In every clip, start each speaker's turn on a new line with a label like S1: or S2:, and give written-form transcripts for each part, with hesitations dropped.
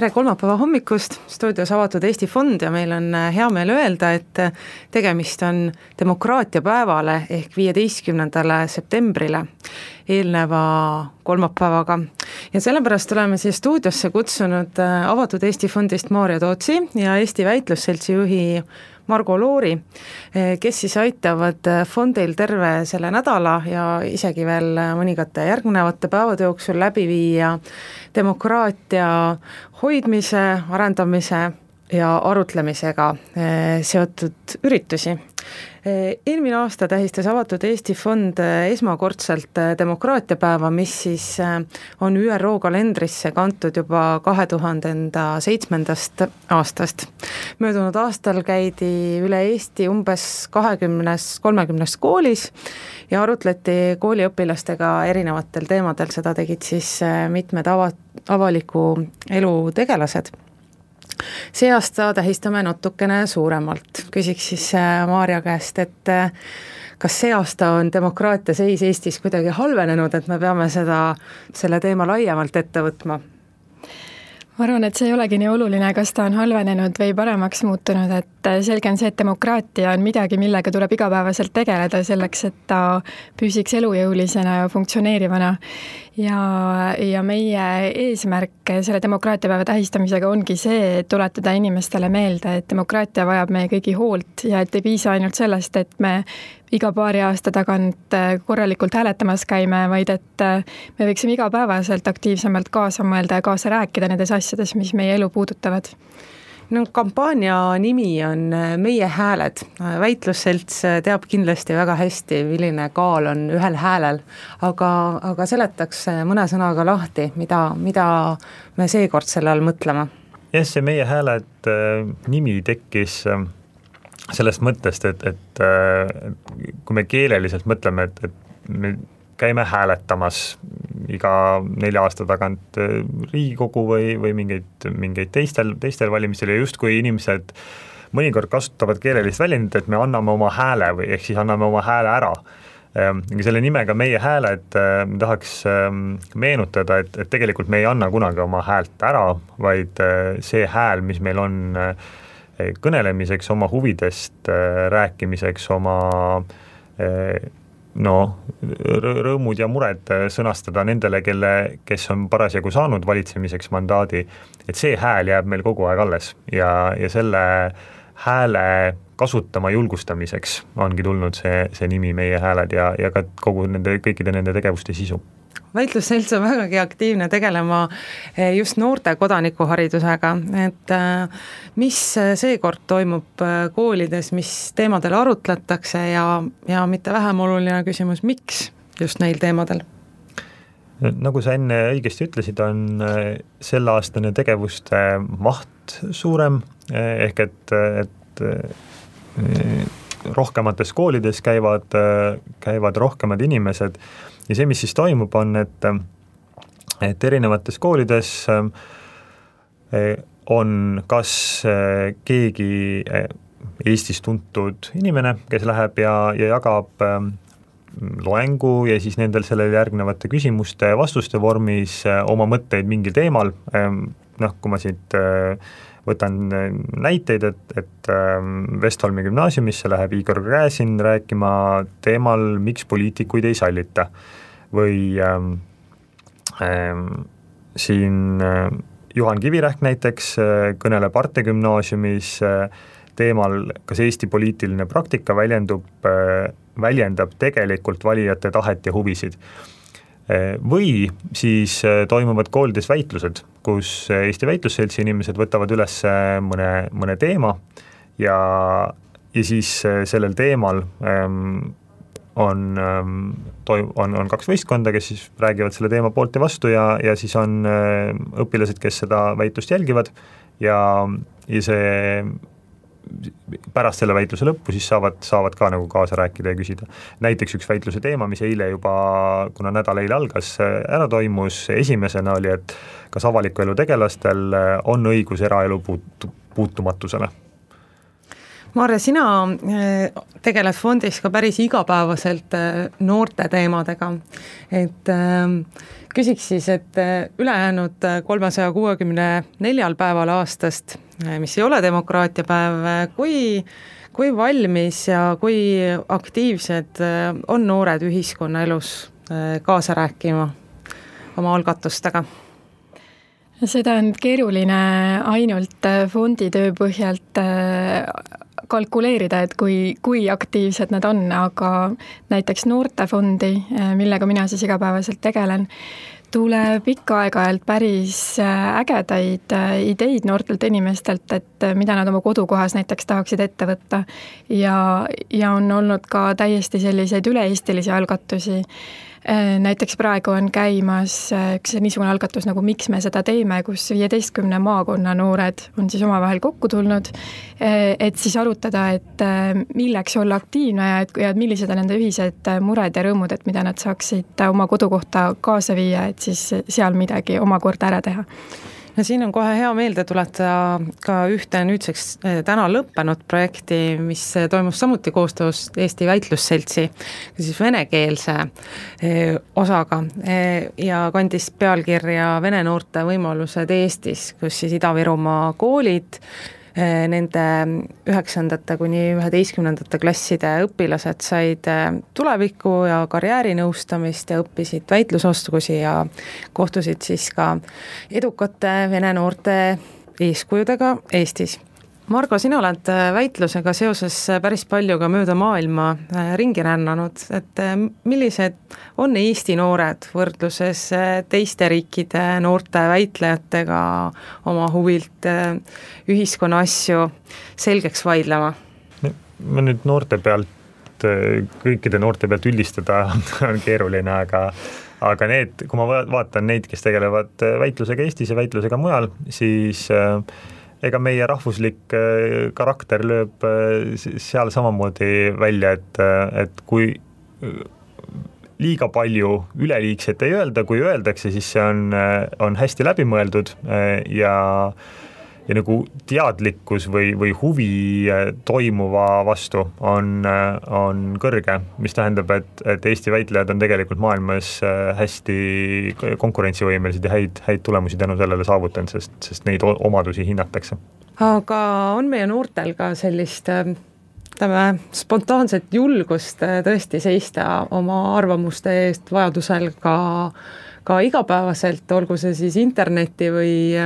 S1: Tere kolmapäeva hommikust, stuudios Avatud Eesti Fond ja meil on hea meel öelda, et tegemist on demokraatia päevale ehk 15. septembrile eelneva kolmapäevaga. Ja sellepärast oleme siia stuudiosse kutsunud Avatud Eesti Fondist Maarja Tootsi ja Eesti Väitlusseltsi juhi Margo Loori, kes siis aitavad fondil terve selle nädala ja isegi veel mõningate järgnevate päevade jooksul läbi viia demokraatia hoidmise, arendamise ja arutlemisega seotud üritusi. Eelmine aasta tähistas Avatud Eesti Fond esmakordselt demokraatiapäeva, mis siis on ÜRO kalendrisse kantud juba 2007. aastast. Möödunud aastal käidi üle Eesti umbes 20-30 koolis ja arutleti kooliõpilastega erinevatel teemadel, seda tegid siis mitmed avaliku elu tegelased. See aasta tähistame natukene suuremalt. Küsiks siis Maarja käest, et kas see aasta on demokraatia seis Eestis kuidagi halvenenud, et me peame selle teema laiemalt ette võtma?
S2: Ma arvan, et see ei olegi nii oluline, kas ta on halvenenud või paremaks muutunud, et selge on see, et demokraatia on midagi, millega tuleb igapäevaselt tegeleda selleks, et ta püsiks elujõulisena ja funktsioneerivana. Ja meie eesmärk selle demokraatiapäeva tähistamisega ongi see, et tuletada inimestele meelde, et demokraatia vajab meie kõigi hoolt ja et ei piisa ainult sellest, et me iga paari aasta tagant korralikult hääletamas käime, vaid et me võiksime igapäevaselt aktiivsemalt kaasa mõelda ja kaasa rääkida nendes asjades, mis meie elu puudutavad.
S1: No, kampaania nimi on Meie hääled. Väitlusselts teab kindlasti väga hästi, milline kaal on ühel häälel, aga seletaks mõne sõnaga lahti, mida me seekord selle all mõtlema.
S3: See Meie hääled nimi tekkis sellest mõttest, et kui me keeleliselt mõtleme, et me käime hääletamas iga 4 aasta tagant Riigikogu või mingeid teistel valimistel ja justkui inimesed mõnikord kasutavad keelelist väljendit, et me anname oma hääle või ehk siis anname oma hääle ära. Selle nimega Meie hääled tahaks meenutada, et tegelikult me ei anna kunagi oma häält ära, vaid see hääl, mis meil on kõnelemiseks, oma huvidest rääkimiseks, oma rõõmud ja mured sõnastada nendele, kes on parasjagu saanud valitsemiseks mandaadi, et see hääl jääb meil kogu aeg alles ja selle hääle kasutama julgustamiseks ongi tulnud see nimi Meie hääled ja ka kõikide nende tegevuste sisu.
S1: Väitlusselts on vägagi aktiivne tegelema just noorte kodanikuharidusega, et mis seekord toimub koolides, mis teemadel arutletakse ja mitte vähem oluline küsimus, miks just neil teemadel?
S3: Nagu sa enne õigesti ütlesid, on selleaastane tegevuste maht suurem, ehk et rohkemates koolides käivad rohkemad inimesed ja see, mis siis toimub, on, et erinevates koolides on kas keegi Eestis tuntud inimene, kes läheb ja jagab loengu ja siis nendel sellele järgnevate küsimuste vastuste vormis oma mõtteid mingil teemal. Kui ma siit võtan näiteid, et Vestholmi gümnaasiumisse läheb Igor Gräzin rääkima teemal, miks poliitikuid ei sallita. Või siin Juhan Kivirähk näiteks kõneleb Arte gümnaasiumis teemal, kas Eesti poliitiline praktika väljendab tegelikult valijate tahet ja huvisid. Või siis toimuvad koolides väitlused, kus Eesti Väitlusseltsi inimesed võtavad üles mõne teema ja siis sellel teemal on 2 võistkonda, kes siis räägivad selle teema poolt ja vastu ja siis on õpilased, kes seda väitlust jälgivad ja see pärast selle väitluse lõppu siis saavad ka nagu kaasa rääkida ja küsida. Näiteks üks väitluse teema, mis eile juba, kuna nädal eile algas, ära toimus, esimesena oli, et kas avaliku elu tegelastel on õigus eraelu puutumatusele.
S1: Maarja, sina tegeled fondis ka päris igapäevaselt noorte teemadega, et küsiks siis, et ülejäänud 364 päeval aastast, mis ei ole demokraatia päev, kui valmis ja kui aktiivsed on noored ühiskonnaelus kaasa rääkima oma algatustega?
S2: Seda on keeruline ainult fondi töö põhjalt kalkuleerida, et kui aktiivsed nad on, aga näiteks noortefondi, millega mina siis igapäevaselt tegelen, tuleb ikka aeg-ajalt päris ägedaid ideid noortelt inimestelt, et mida nad oma kodukohas näiteks tahaksid ette võtta ja on olnud ka täiesti selliseid üle-eestilisi algatusi. Näiteks praegu on käimas üks niisugune algatus nagu Miks me seda teeme, kus 15 maakonna noored on siis omavahel kokku tulnud, et siis arutada, et milleks olla aktiivne ja millised on nende ühised mured ja rõõmud, et mida nad saaksid oma kodukohta kaasa viia, et siis seal midagi omakorda ära teha.
S1: Ja siin on kohe hea meelde tuletada ka ühte nüüdseks täna lõppenud projekti, mis toimus samuti koostöös Eesti Väitlusseltsi, siis venekeelse osaga ja kandis pealkirja Vene noorte võimalused Eestis, kus siis Ida-Virumaa koolid, nende 9. kuni 11. klasside õpilased said tuleviku ja karjäärinõustamist ja õppisid väitlusoskusi ja kohtusid siis ka edukate vene noorte eeskujudega Eestis. Margo, sina oled väitlusega seoses päris palju ka mööda maailma ringi rännanud, et millised on Eesti noored võrdluses teiste riikide noorte väitlejatega oma huvilt ühiskonna asju selgeks vaidlema?
S3: Ma nüüd noorte pealt, kõikide noorte pealt üldistada on keeruline, aga need, kui ma vaatan neid, kes tegelevad väitlusega Eestis ja väitlusega mujal, siis ega meie rahvuslik karakter lööb seal samamoodi välja, et kui liiga palju üleliigset ei öelda, kui öeldakse, siis see on hästi läbimõeldud ja nagu teadlikkus või huvi toimuva vastu on kõrge, mis tähendab, et Eesti väitlejad on tegelikult maailmas hästi konkurentsivõimelised ja häid tulemusi tänu sellele saavutanud, sest neid omadusi hinnatakse.
S1: Aga on meie noortel ka sellist spontaanset julgust tõesti seista oma arvamuste eest vajadusel ka igapäevaselt, olgu see siis interneti või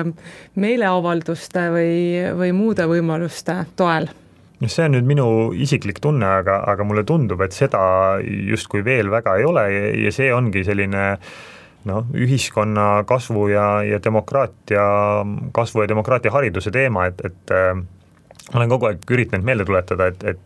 S1: meeleavalduste või muude võimaluste toel?
S3: See on nüüd minu isiklik tunne, aga mulle tundub, et seda justkui veel väga ei ole ja see ongi selline ühiskonna kasvu ja demokraatia kasvu ja demokraatia hariduse teema, et olen kogu aeg üritanud meelde tuletada, et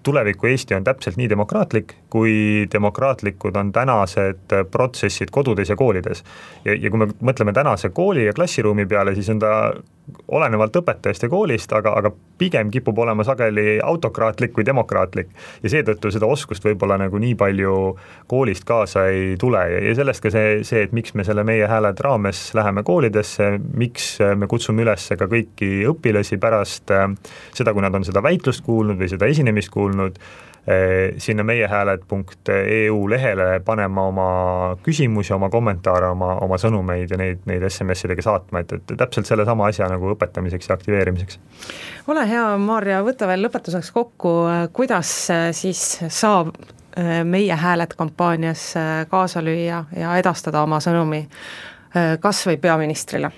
S3: tuleviku Eesti on täpselt nii demokraatlik, kui demokraatlikud on tänased protsessid kodudes ja koolides. Ja kui me mõtleme tänase kooli ja klassiruumi peale, siis on ta olenevalt õpetajast ja koolist, aga pigem kipub olema sageli autokraatlik kui demokraatlik. Ja seetõttu seda oskust võib-olla nagu nii palju koolist kaasa ei tule. Ja sellest ka see, et miks me selle Meie hääled raames läheme koolidesse, miks me kutsume üles ka kõiki õpilasi pärast seda, kui nad on seda väitlust kuulnud või seda esinemist kuulnud, sinna meiehääled.eu lehele panema oma küsimusi, oma kommentaare, oma sõnumeid ja neid SMS-idega saatma, et täpselt selle sama asja nagu õpetamiseks ja aktiveerimiseks.
S1: Ole hea, Maarja, võta veel lõpetuseks kokku, kuidas siis saab Meie hääled kampaanias kaasa lüüa ja edastada oma sõnumi kas või peaministrile?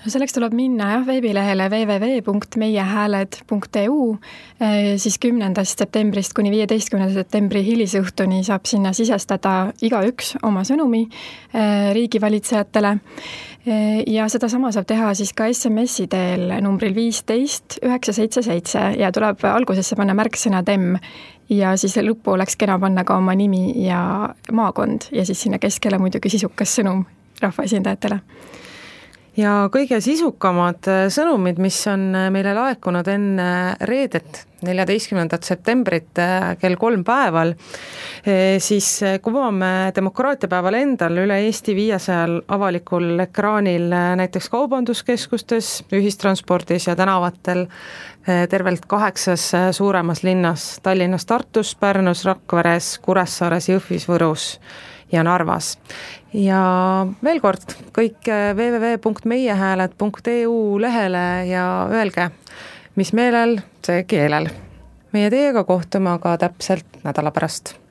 S2: Selleks tuleb minna veebilehele www.meiehääled.eu, siis 10. septembrist kuni 15. septembri hilisõhtuni saab sinna sisestada igaüks oma sõnumi riigivalitsejatele ja seda sama saab teha siis ka SMS-i teel numbril 15 977 ja tuleb algusesse panna märksõna TEM ja siis lõppu oleks kena panna ka oma nimi ja maakond ja siis sinna keskele muidugi sisukas sõnum rahvaesindajatele.
S1: ja kõige sisukamad sõnumid, mis on meile laekunud enne reedet, 14. septembrit kell 3 päeval, siis kuvame demokraatiapäeval endal üle Eesti 500 avalikul ekraanil näiteks kaubanduskeskustes, ühistranspordis ja tänavatel tervelt 8 suuremas linnas, Tallinnas, Tartus, Pärnus, Rakveres, Kuressaares, Jõhvis, Võrus ja Narvas. Ja veel kord, kõik www.meiehääled.eu lehele ja öelge, mis meelel, see keelel. Meie teiega kohtume aga täpselt nädala pärast.